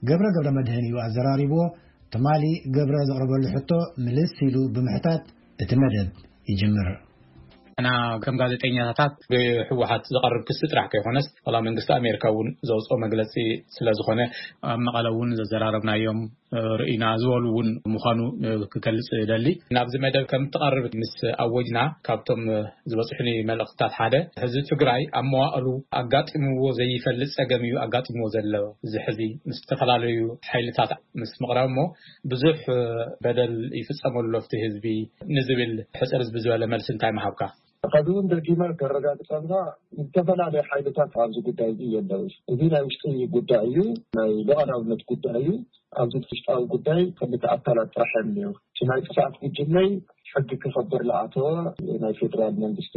ገብረ ገብረ መድህን እዩ ኣዘራሪብዎ። ትማሊ ገብረ ዘቕረበሉ ሕቶ ምልስ ኢሉ ብምሕታት እቲ መደብ ይጅምር። እና ከም ጋዜጠኛታት ብህወሓት ዝቐርብ ክሲ ጥራሕ ከይኮነስ፣ ዋላ መንግስቲ ኣሜሪካ እውን ዘውፅኦ መግለፂ ስለ ዝኾነ፣ ኣብ መቐለ እውን ዘዘራረብናዮም ርኢና ዝበሉ እውን ምዃኑ ክገልጽ ደሊ። ናብዚ መደብ ከም ትቐርብ ምስ ኣወጅና ካብቶም ዝበጽሑኒ መልእኽትታት ሓደ፣ ህዝቢ ትግራይ ኣብ መዋእሉ ኣጋጢምዎ ዘይፈልጥ ጸገም እዩ ኣጋጢምዎ ዘሎ። እዚ ሕዚ ምስ ዝተፈላለዩ ሓይልታት ምስ ምቕራብ እሞ ብዙሕ በደል ይፍጸመሉ ኣብቲ ህዝቢ ንዝብል ሕጽር ዝበለ መልሲ እንታይ ምሃብካ? ከዚ እውን ደጊመ ከረጋግጸልካ፣ ዝተፈላለዩ ሓይልታት ኣብዚ ጉዳይ እዚ የለውስ። እዚ ናይ ውሽጢ ጉዳይ እዩ፣ ናይ ሉዓላውነት ጉዳይ እዩ። ኣብዚ ውሽጣዊ ጉዳይ ክልተ ኣካላት ጥራሕ እዮም እኒአው። እቲ ናይ ጥፍኣት ጉጅለይ ሕጊ ክኸብር ዝኣተወ ናይ ፌደራል መንግስቲ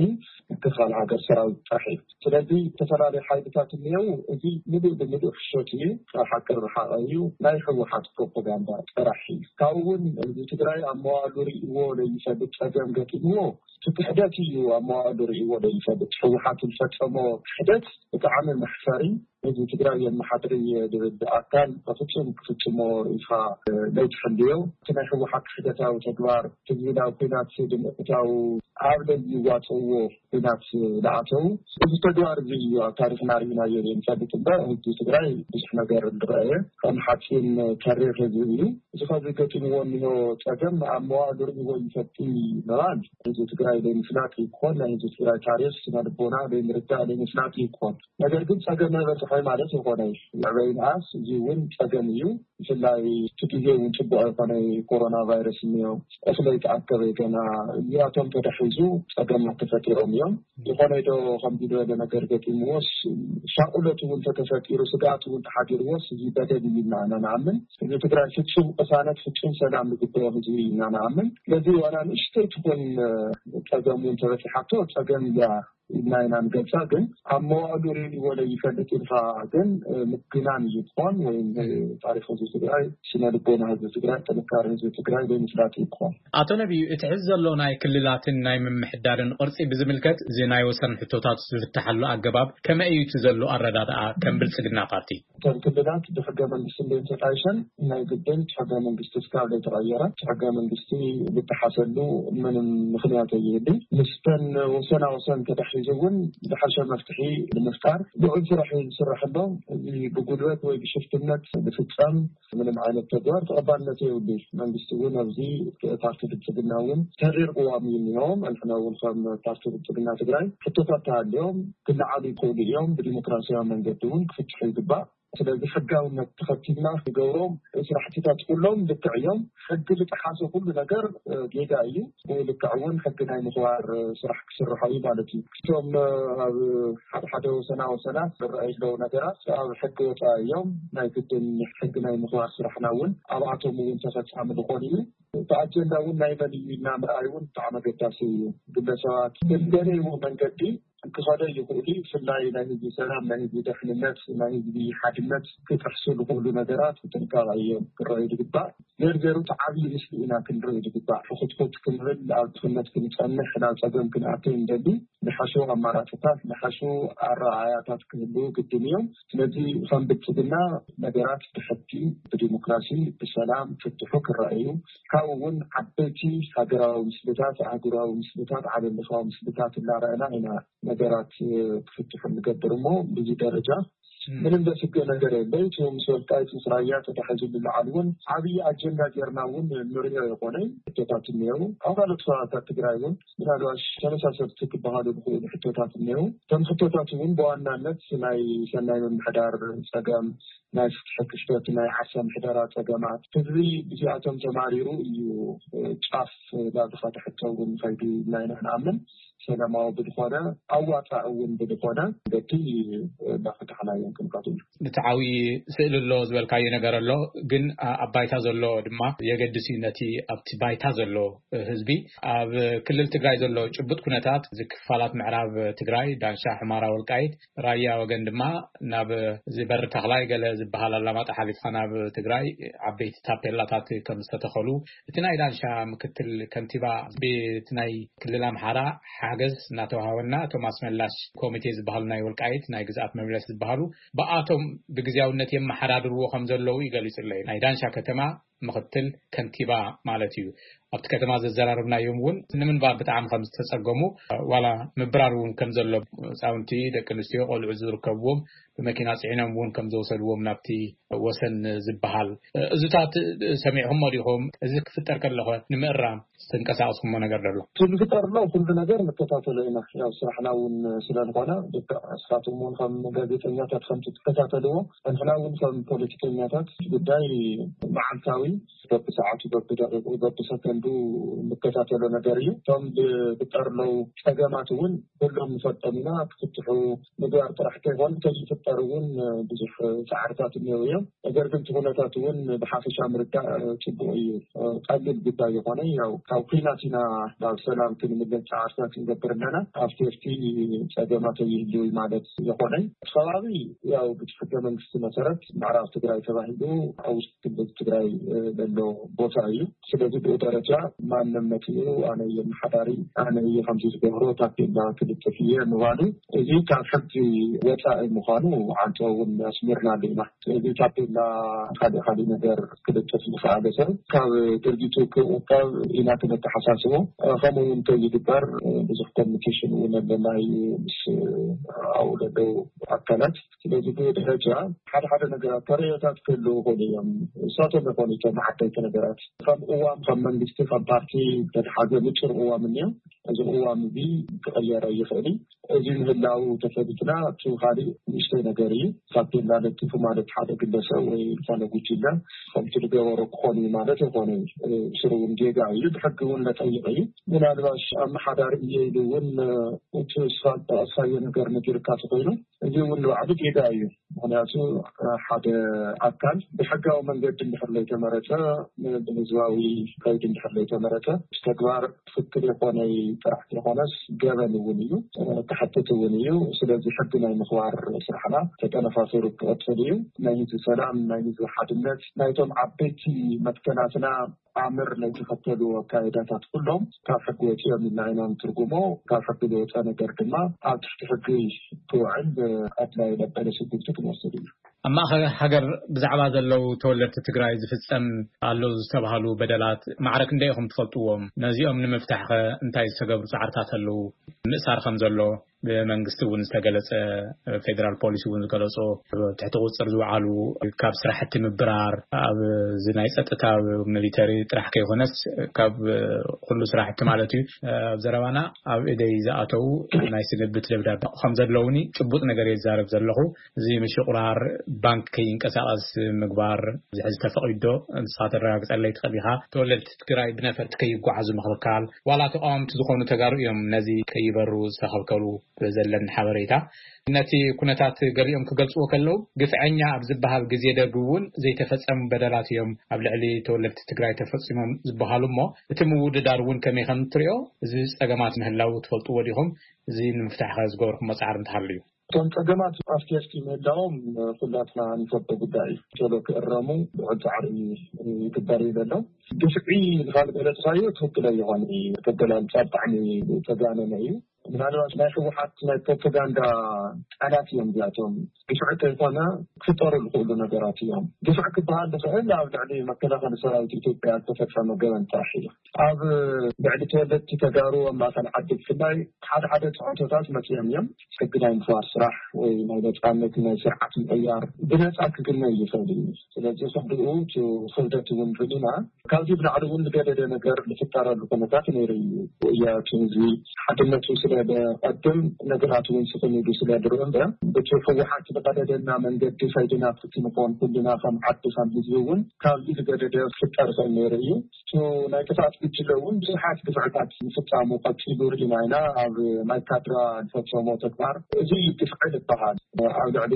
ምክልኻል ሃገር ሰራዊት ጥራሕ እዩ። ስለዚ ዝተፈላለዩ ሓይልታት እኒአው። እዚ ምሉእ ብምሉእ ሕሾት እዩ፣ ካብ ሓቂ ርሓቐ እዩ፣ ናይ ህወሓት ፕሮፓጋንዳ ጥራሕ እዩ። ካብኡ እውን ህዝቢ ትግራይ ኣብ መዋእሉ ርእይዎ ዘይፈልጥ ጸገም ገጢምዎ፣ እቲ ክሕደት እዩ ኣብ መዋእሉ ርእይዎ ዘይፈልጥ። ህወሓት ዝፈጸሞ ክሕደት ብጣዕሚ መሕፈሪ። ህዝቢ ትግራይ የመሓድር እየ ዝብል ኣካል በፍጹም ክፍጽሞ ኢልካ ለይትሕልዮ። እቲ ናይ ህወሓት ክሕደታዊ ተግባር ህዝቢ ናብ ኲናት ብምእታው ኣብ ለይዋፅእዎ ኲናት ዝኣተው፣ እዚ ተግባር እዚ እዩ ኣብ ታሪኽና ርኢናዮ ዘይንፈልጥ እምበር፣ ህዝቢ ትግራይ ብዙሕ ነገር ዝረኣየ ከም ሓፂን ተሪር ህዝቢ እዩ። እዚ ኸዚ ገጢምዎ እኒሆ ጸገም ኣብ መዋእሉ ርእይዎ ይፈቲ ምባል፣ ህዝቢ ትግራይ ዘይምፍላጥ ይኮን፣ ናይ ህዝቢ ትግራይ ታሪኽ፣ ስነ ልቦና ዘይምርዳእ፣ ዘይምፍላጥ ይኮን። ነገር ግን ጸገም ኣይበጽሖይ ማለት ይኾነ። መዕበይ ንኣስ እዚ እውን ጸገም እዩ። ብፍላይ እቲ ግዜ እውን ጽቡቕ ኣይኮነ፣ ኮሮና ቫይረስ እኒኦ፣ እኽሊ ኣይተኣከበ ገና፣ እዚኣቶም ተዳሒዙ ጸገማት ተፈጢሮም እዮም። ዝኾነ ዶ ከምዚ ዝበለ ነገር ገጢምዎስ፣ ሻቕሎት እውን ተተፈጢሩ፣ ስግኣት እውን ተሓዲርዎስ፣ እዚ በደል እዩ ኢና ኢና ንኣምን። ህዝቢ ትግራይ ፍጹም ቅሳነት፣ ፍጹም ሰላም ዝግብኦ ህዝቢ እዩ ኢና ንኣምን። ስለዚ ዋላ ንእሽተይ ትኹን ጸገም እውን ተበጺሓቶ፣ ጸገም እያ ኢልና ኢና ንገልጻ። ግን ኣብ መዋእሉ ርእይዎ ዘይፈልጥ ኢልካ ግን ምግናን እዩ ክኾን፣ ወይም ታሪኽ ህዝቢ ትግራይ፣ ስነ ልቦና ህዝቢ ትግራይ፣ ጥንካሬ ህዝቢ ትግራይ ዘይምፍላጥ እዩ ክኾን። ኣቶ ነቢዩ፣ እቲ ሕዚ ዘሎ ናይ ክልላትን ናይ ምምሕዳርን ቅርጺ ብዝምልከት፣ እዚ ናይ ወሰን ሕቶታት ዝፍትሓሉ ኣገባብ ከመይ እዩ እቲ ዘሎ ኣረዳድኣ ከም ብልጽግና ፓርቲ? እተን ክልላት ብሕገ መንግስቲ እንዴን ተጣይሸን፣ ናይ ግድን እቲ ሕገ መንግስቲ እስካብ ዘይተቐየረ፣ እቲ ሕገ መንግስቲ ልጠሓሰሉ ምንም ምኽንያት ኣይህልን። ምስተን ወሰና ወሰን ተታሒዙ እውን ዝሓሸ መፍትሒ ንምፍጣር ልዑል ስራሕ እዩ ዝስራሕ ኣሎ። እዚ ብጉልበት ወይ ብሽፍትነት ዝፍጸም ምንም ዓይነት ተግባር ተቐባልነት የብሉን። መንግስቲ እውን ኣብዚ፣ ፓርቲ ብልጽግና እውን ተሪር ቅዋም እዩ እኒሆም። ንሕና እውን ከም ፓርቲ ብልጽግና ትግራይ ሕቶታት ተሃልዮም ክለዓሉ ይኽእሉ እዮም። ብዲሞክራሲያዊ መንገዲ እውን ክፍትሑ ይግባእ። ስለዚ ሕጋውነት ተኸቲልና ክገብሮም ስራሕቲታት ኩሎም ልክዕ እዮም። ሕጊ ዝጠሓሰ ኩሉ ነገር ጌጋ እዩ። ብኡ ልክዕ እውን ሕጊ ናይ ምኽባር ስራሕ ክስርሖ እዩ ማለት እዩ። እቶም ኣብ ሓደ ሓደ ወሰና ወሰናት ዝረኣዩ ዘለዉ ነገራት ኣብ ሕጊ ወፃኢ እዮም። ናይ ግድን ሕጊ ናይ ምኽባር ስራሕና እውን ኣብኣቶም እውን ተፈፃሚ ዝኾን እዩ። እቲ ኣጀንዳ እውን ናይ መን እዩ ኢልና ምርኣይ እውን ብጣዕሚ ኣገዳሲ እዩ። ግለሰባት ብዝደለይዎ መንገዲ ክኸደ ይኽእሉ። ብፍላይ ናይ ህዝቢ ሰላም፣ ናይ ህዝቢ ደሕንነት፣ ናይ ህዝቢ ሓድነት ክጥሕሱ ዝኽእሉ ነገራት ብጥንቃቐ እዮም ክረኣዩ ዝግባእ። ዜርዜሩ እቲ ዓብዪ ምስሊ ኢና ክንርኢ ዝግባእ። ሕኹትኩት ክንብል፣ ኣብ ድኽነት ክንጸንሕ፣ ናብ ጸገም ክንኣቱ እንደሊ፣ ዝሓሹ ኣማራፅታት፣ ዝሓሹ ኣረኣእያታት ክህልዉ ግድን እዮም። ስለዚ ከም ብልጽግና ነገራት ብሕጊ፣ ብዲሞክራሲ፣ ብሰላም ፍትሑ ክረኣዩ፣ ካብኡ እውን ዓበይቲ ሃገራዊ ምስልታት፣ ኣህጉራዊ ምስልታት፣ ዓለም ለኻዊ ምስልታት እናረኣና ኢና ነገራት ክፍትሑ ንገብር እሞ፣ ብዙ ደረጃ ምንም ዘስግእ ነገር የለ። እቲ ምስ ወልቃይት ምስ ራያ ተታሒዙ ዝለዓል እውን ዓብዪ ኣጀንዳ ጌርና እውን ንሪኦ የኾነ። ሕቶታት እኒአው። ኣብ ካልኦት ከባብታት ትግራይ እውን ምናልባሽ ተመሳሰልቲ ክበሃሉ ዝኽእሉ ሕቶታት እኒአው። እቶም ሕቶታት እውን ብዋናነት ናይ ሰናይ ምምሕዳር ጸገም፣ ናይ ፍትሒ ክፍተት፣ ናይ ዓርሰ ምሕደራ ጸገማት፣ ህዝቢ ብዚኣቶም ተማሪሩ እዩ ጫፍ ናብ ዝኸደ ሕቶ እውን ከይዱ ኢልና ኢና ንኣምን። ሰላማዊ ብዝኾነ፣ ኣዋፃእ እውን ብዝኾነ መገዲ እናፈታሕናዮም ክንቀፅል። እቲ ዓብዪ ስእሊ ኣሎ ዝበልካዮ ነገር ኣሎ፣ ግን ኣብ ባይታ ዘሎ ድማ የገድስ እዩ። ነቲ ኣብቲ ባይታ ዘሎ ህዝቢ፣ ኣብ ክልል ትግራይ ዘሎ ጭቡጥ ኩነታት፣ እዚ ክፋላት ምዕራብ ትግራይ፣ ዳንሻ፣ ሕማራ፣ ወልቃይት፣ ራያ ወገን ድማ ናብ እዚ በሪ ተኽላይ ገለ ዝበሃል ኣላማጣ ሓሊፍካ ናብ ትግራይ ዓበይቲ ታፔላታት ከም ዝተተኸሉ፣ እቲ ናይ ዳንሻ ምክትል ከንቲባ፣ ብቲ ናይ ክልል ኣምሓራ ሓገዝ እናተዋሃበና፣ እቶም ኣስመላሽ ኮሚቴ ዝበሃሉ ናይ ወልቃይት ናይ ግዝኣት መምለስ ዝበሃሉ፣ ብኣቶም ብግዝያውነት የመሓዳድርዎ ከም ዘለዉ ይገሊጹ ኣለዩ። ናይ ዳንሻ ከተማ ምክትል ከንቲባ ማለት እዩ። ኣብቲ ከተማ ዘዘራረብናዮም እውን ንምንባር ብጣዕሚ ከም ዝተጸገሙ፣ ዋላ ምብራር እውን ከም ዘሎ፣ ህጻውንቲ፣ ደቂ ኣንስትዮ፣ ቆልዑ ዝርከብዎም ብመኪና ጽዒኖም እውን ከም ዘውሰድዎም ናብቲ ወሰን ዝበሃል። እዚታት ሰሚዕኹሞ ዲኹም? እዚ ክፍጠር ከለኸ ንምእራም ዝተንቀሳቐስኩሞ ነገር ደሎ? እቲ ዝፍጠር ኣሎ ኩሉ ነገር ንከታተሎ ኢና። ያው ስራሕና እውን ስለዝኾነ፣ ልክዕ ንስኻትኩም እውን ከም ጋዜጠኛታት ከምቲ ትከታተልዎ፣ ንሕና እውን ከም ፖለቲከኛታት ጉዳይ መዓልታዊ በብሰዓቱ፣ በብደቂቁ፣ በብሰከንዱ እንከታተሎ ነገር እዩ። እቶም ዝፍጠር ኣለዉ ጸገማት እውን ኩሎም ንፈልጦም ኢና። ክፍትሑ ምግባር ጥራሕ ከይኮነ፣ ከይፍጠር እውን ብዙሕ ጻዕርታት እኒአው እዮም። ነገር ግን እቲ ኩነታት እውን ብሓፈሻ ምርዳእ ጽቡቅ እዩ። ቀሊል ጉዳይ ይኾነ፣ ያው ካብ ኲናት ኢና ናብ ሰላም ክንምለስ ጻዕርታት ንገብር ኣለና። ኣብ ሴፍቲ ጸገማት ይህልው ማለት ይኾነ። እቲ ከባቢ ያው ብቲ ሕገ መንግስቲ መሰረት ምዕራብ ትግራይ ተባሂሉ ኣብ ውሽጢ ክልል ትግራይ ዘሎ ቦታ እዩ። ስለዚ ብኡ ደረጃ ማንም መጺኡ ኣነ እየ መሓዳሪ፣ ኣነ እየ ከምዚ ዝገብሮ፣ ታፔላ ክልጥፍ እየ ምባሉ፣ እዚ ካብ ሕጊ ወጻኢ ምዃኑ ዓንቶ እውን ኣስሚርናሉ ኢና። ስለዚ ታፔላ ካልእ ካልእ ነገር ክልጥፍ ዝኸኣለ ሰብ ካብ ድርጊቱ ክቑጠብ ኢና ክነተሓሳስቦ። ከምኡ እውን ከይግበር ብዙሕ ኮሚኒኬሽን እውን ኣለና እዩ ምስ ኣብኡ ዘለዉ ኣካላት። ስለዚ ብኡ ደረጃ ሓደ ሓደ ነገራት ተርእዮታት ክህልዉ ይኽእሉ እዮም። ንሳቶም ይኾኑ እቶም ዓበይቲ ነገራት። ከም ቅዋም፣ ከም መንግስቲ፣ ከም ፓርቲ ዝተትሓዘ ንጹር ቅዋም እኒኦ። እዚ ቅዋም እዚ ክቕየር ኣይኽእል እዩ። እዚ ምህላው ተፈሊጥና፣ እቲ ካሊእ ንእሽተይ ነገር እዩ። ታፔላ ለጢፉ ማለት ሓደ ግለሰብ ወይ ዝኾነ ጉጅለ ከምቲ ዝገበሮ ክኾን እዩ ማለት ኣይኮነን። ብስሩ እውን ጌጋ እዩ፣ ብሕጊ እውን ለጠይቕ እዩ። ምናልባሽ ኣመሓዳሪ እየ ኢሉ እውን እቲ ስፋልት ጠቐስካዮ ነገር ነጊርካ ተኾይኑ፣ እዚ እውን ንባዕሉ ጌጋ እዩ። ምኽንያቱ ሓደ ኣካል ብሕጋዊ መንገዲ እንድሕር ለይተመረጸ፣ ብህዝባዊ ከይዲ እንድሕር ለይተመረጸ፣ ተግባር ትኽክል የኾነይ ጥራሕ ዘይኾነስ ገበን እውን እዩ፣ ክሕትት እውን እዩ። ስለዚ ሕጊ ናይ ምኽባር ስራሕና ተጠናኺሩ ክቕጽል እዩ። ናይ ህዝቢ ሰላም፣ ናይ ህዝቢ ሓድነት፣ ናይቶም ዓበይቲ መትከላትና ኣምር ናይ ተኸተሉ ኣካይዳታት ኩሎም ካብ ሕጊ ወፂኦም ኢልና ኢና ንትርጉሞ። ካብ ሕጊ ዝወፀ ነገር ድማ ኣብ ትሕቲ ሕጊ ክውዕል ኣድላይ መበለ ስጉምቲ ክንወስድ እዩ። ኣብ ማእኸል ሃገር ብዛዕባ ዘለዉ ተወለድቲ ትግራይ ዝፍጸም ኣሎ ዝተባህሉ በደላት ማዕረ ክንደይ ኢኹም ትፈልጥዎም? ነዚኦም ንምፍታሕኸ እንታይ ዝተገብሩ ጻዕርታት ኣለዉ? ምእሳር ከም ዘሎ ብመንግስቲ እውን ዝተገለጸ፣ ፌደራል ፖሊስ እውን ዝገለጾ፣ ትሕቲ ቁጽር ዝወዓሉ፣ ካብ ስራሕቲ ምብራር፣ ኣብ እዚ ናይ ጸጥታ፣ ሚሊተሪ ጥራሕ ከይኮነስ ካብ ኩሉ ስራሕቲ ማለት እዩ። ኣብ ዘረባና ኣብ እደይ ዝኣተዉ ናይ ስንብት ደብዳቤ ከም ዘለዉኒ ጭቡጥ ነገር የዛረብ ዘለኹ። እዚ ምሽቑራር ባንክ ከይንቀሳቐስ ምግባር፣ እዚ ሕዚ ተፈቒዶ ንስኻ ተረጋግጸለይ ትኽእል ኢኻ። ተወለድቲ ትግራይ ብነፈርቲ ከይጓዓዙ ምኽልካል፣ ዋላ ተቃወምቲ ዝኾኑ ተጋሩ እዮም ነዚ ከይበሩ ዝተኸልከሉ ብዘለኒ ሓበሬታ። ነቲ ኩነታት ገሊኦም ክገልጽዎ ከለዉ፣ ግፍዐኛ ኣብ ዝበሃል ግዜ ደርጊ እውን ዘይተፈጸሙ በደላት እዮም ኣብ ልዕሊ ተወለድቲ ትግራይ ተፈጺሞም ዝበሃሉ እሞ፣ እቲ ምውድዳር እውን ከመይ ከም እትሪኦ፣ እዚ ጸገማት ምህላዉ ትፈልጥዎ ዲኹም? እዚ ንምፍታሕ ከ ዝገበርኩሞ ጻዕሪ እንተሃልዩ? እቶም ጸገማት ኣብቲ ምህላዎም ኩላትና ንፈልጦ ጉዳይ እዩ። ቶሎ ክእረሙ ልዑል ጻዕሪ ይግበር እዩ ዘሎ። ግፍዒ ንኻል ገለጽካዮ ትኽክል ኣይኾነ እዩ። ተገላልጻ ብጣዕሚ ተጋነነ እዩ። ምናልባት ናይ ህወሓት ናይ ፕሮፓጋንዳ ቃላት እዮም እዚኣቶም። ግፍዒ ከይኮነ ክፍጠሩ ዝኽእሉ ነገራት እዮም። ግፍዒ ክበሃል ዝኽእል ኣብ ልዕሊ መከላኸሊ ሰራዊት ኢትዮጵያ ዝተፈጸመ ገበን ጥራሕ እዩ። ኣብ ልዕሊ ተወለድቲ ተጋሩ ኣብ ማእኸል ዓዲ ብፍላይ ሓደ ሓደ ፅዕንቶታት መፂኦም እዮም። ሕጊ ናይ ምኽባር ስራሕ ወይ ናይ ነፃነት ናይ ስርዓት ምቕያር ብነፃ ክግነ ይኽእል እዩ። ስለዚ ክንድኡ እቲ ክብደት እውን ርኢና ካብዚ ብላዕሊ እውን ዝገደደ ነገር ዝፍጠረሉ ኩነታት ነይሩ እዩ። ወያቱ ህዝቢ ሓድነቱ ስለ ዘቐድም ነገራት እውን ስኽን ኢሉ ስለ ዝርኢ እምበር፣ በቲ ህወሓት ዝቐደደና መንገዲ ከይድና ክትንኾን ኩልና ከም ዓዲ ከም ህዝቢ እውን ካብዚ ዝገደደ ክፍጠር ይኽእል ነይሩ እዩ። እቱ ናይ ጥፍኣት ጉጅለ እውን ብዙሓት ግፍዕታት ምፍፃሙ ቀፂሉ ርኢና ኢና። ኣብ ማይካድራ ዝፈፀሞ ተግባር እዚ እዩ ግፍዒ ዝበሃል። ኣብ ልዕሊ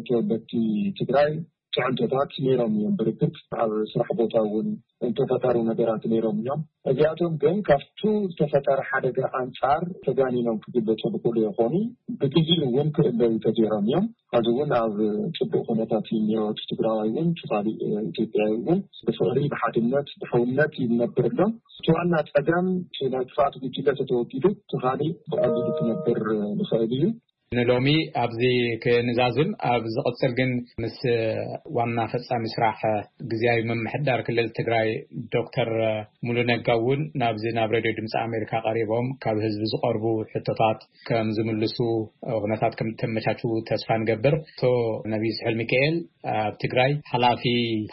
ተወለድቲ ትግራይ ፅዕንቶታት ነይሮም እዮም። ብርግፅ ኣብ ስራሕ ቦታ እውን እንተፈጠሩ ነገራት ነይሮም እዮም። እዚኣቶም ግን ካብቱ ዝተፈጠረ ሓደጋ ኣንፃር ተጋኒኖም ክግለፁ ዝኽእሉ ይኾኑ። ብግዜኡ እውን ክእለዩ ተገይሮም እዮም። ሕዚ እውን ኣብ ፅቡቅ ኩነታት እዩ እኒኦ። እቲ ትግራዋይ እውን እቲ ካሊእ ኢትዮጵያዊ እውን ብፍቅሪ፣ ብሓድነት፣ ብሕውነት ይነብር ኣሎ። እቲ ዋና ፀገም እቲ ናይ ጥፍኣት ጉጅለ ተተወጊዱ እቲ ካሊእ ብቐሊሉ ክነብር ንኽእል እዩ። ንሎሚ ኣብዚ ክንዛዝም፣ ኣብ ዝቕጽል ግን ምስ ዋና ፈጻሚ ስራሕ ግዝያዊ ምምሕዳር ክልል ትግራይ ዶክተር ሙሉ ነጋ እውን ናብዚ ናብ ሬድዮ ድምፂ ኣሜሪካ ቀሪቦም ካብ ህዝቢ ዝቐርቡ ሕቶታት ከም ዝምልሱ ኩነታት ከም ተመቻቹ ተስፋ ንገብር። ኣቶ ነቢይ ስሑል ሚካኤል ኣብ ትግራይ ሓላፊ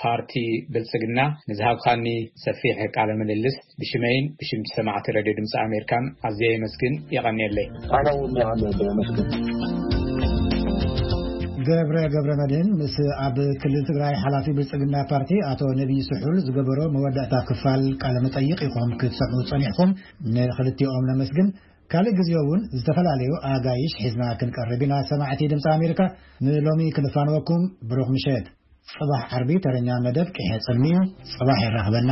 ፓርቲ ብልጽግና፣ ንዝሃብካኒ ሰፊሕ ቃለ ምልልስ ብሽመይን ብሽም ሰማዕቲ ሬድዮ ድምፂ ኣሜሪካን ኣዝየ የመስግን። የቐንየለይ። ኣነ እውን የቐንየለይ፣ የመስግን። ገብረ ገብረ መድህን ምስ ኣብ ክልል ትግራይ ሓላፊ ብልጽግና ፓርቲ ኣቶ ነቢይ ስሑል ዝገበሮ መወዳእታ ክፋል ቃለ መጠይቕ ኢኹም ክትሰምዑ ጸኒሕኩም። ንኽልቲኦም ነመስግን። ካልእ ግዜ እውን ዝተፈላለዩ ኣጋይሽ ሒዝና ክንቀርብ ኢና። ሰማዕቲ ድምፂ ኣሜሪካ፣ ንሎሚ ክንፋንወኩም ብሩኽ ምሸት። ጽባሕ ዓርቢ ተረኛ መደብ ቅሐ ጽልሚ እዩ። ጽባሕ የራኽበና።